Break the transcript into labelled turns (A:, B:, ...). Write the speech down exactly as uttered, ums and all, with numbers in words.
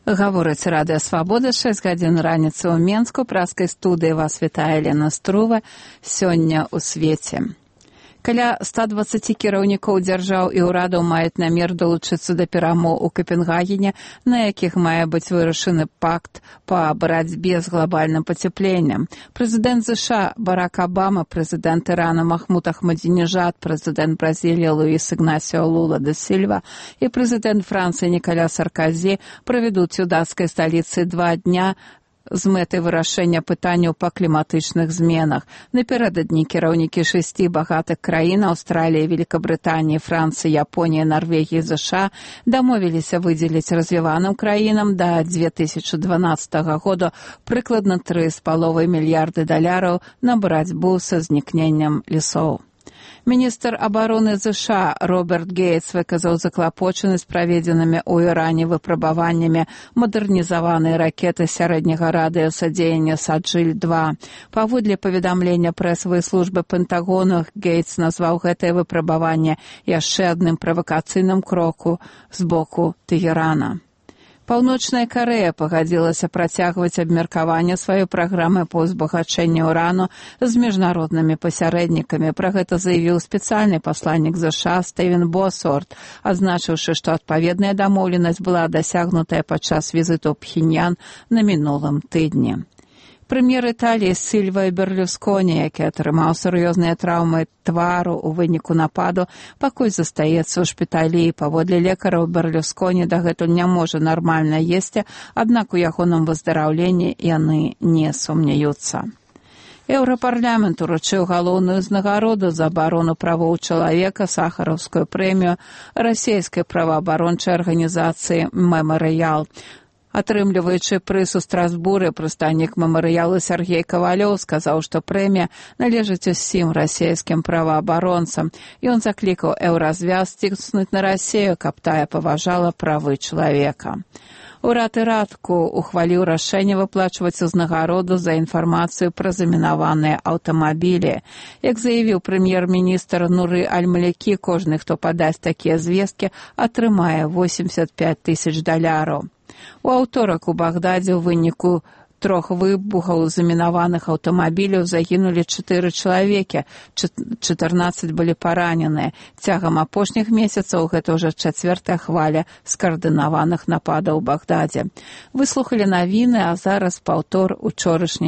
A: Гаворыць Радыё Свабода, шэсць гадзін раніцы ў Менску, праскай студыі вас вітае Лена Струва, сёння ў свеце. Каля ста дваццаці кіраўнікоў дзяржаў і ўрадаў маюць намер долучыцца да перамоў у Капенгагене, на якіх мае быць вырашаны пакт па барацьбе з глобальным пацяпленнем. Прэзідэнт ЗША Барак Абама, прэзідэнт Ірана Махмуд Ахмадзінежад, прэзідэнт Бразіліі Луіс Ігнасіо Лула да Сільва і прэзідэнт Францыі Ніколя Саркозі правядуць у дацкай сталіцы два дня з мэтай вырашэння пытанняў па кліматычных зменах. Напярэдадні кіраўнікі шасці багатых краін Аўстраліі, Великабрытаніі, Францыі, Японіі, Нарвегіі, ЗША дамовіліся выдзеліць развіваным краінам да дзве тысячы дванаццатага года прыкладна тры з паловай мільярды даляраў на барацьбу са знікненнем лесоў. Міністр абароны ЗША Роберт Гейтс выказаў заклапочанасць праведзенымі ў Іране выпрабаваннямі мадэрнізаванай ракеты сярэдняга радыуса дзеяння Саджыль два. Паводле паведамлення прэсавай службы Пентагону, Гейтс назваў гэтае выпрабаванне яшчэ адным правакацыйным кроку з боку Тэгерана. Паўночная Карэя пагадзілася працягваць абмеркаванне сваёй праграмы па ўзбагачэнні ўрану з міжнароднымі пасярэднікамі. Пра гэта заявіў спецыяльны пасланнік ЗША Стэвен Босуорт, адзначыўшы, што адпаведная дамоўленасць была дасягнутая падчас візіту ў Пхеньян на мінулым тыдні. Прэм'ер Італіі Сільва Берлюсконі, які атрымаў сур'ёзныя траўмы твару ў выніку нападу, пакуль застаецца ў шпіталі. Паводле лекараў, Берлюсконі дагэтуль не можа нармальна есці, аднак у ягоным выздараўленні яны не сумняюцца. Еўрапарламент уручыў галоўную ўзнагароду за абарону правоў чалавека, сахараўскую прэмію расійскай праваабарончай арганізацыі «Мемарыял». Атрымліваючы прыз у Страсбуры, прадстаўнік мемарыялу Сергей Кавалёў сказаў, што прэмія належыць усім расійскім праваабаронцам. Ён заклікаў еўразвяз ціснуць на Расію, каб тая паважала правы чалавека. Урад Іраку ухваліў рашэнне выплачваць узнагароду за інфармацыю пра замінаваныя аўтамабілі. Як заявіў прэм'ер-міністр Нуры Аль-Малякі, кожны, хто падасць такія звесткі, атрымае восемьдесят пять тысяч даляраў. У аўторак у Багдадзе ў выніку трох выбухаў замінаваных аўтамабіляў загінулі чатыры чалавекі, чатырнаццаць былі параненыя. Цягам апошніх месяцаў гэта ўжо чацвёртая хваля скаардынаваных нападаў у Багдадзе. Выслухалі навіны, а зараз паўтор учорашняй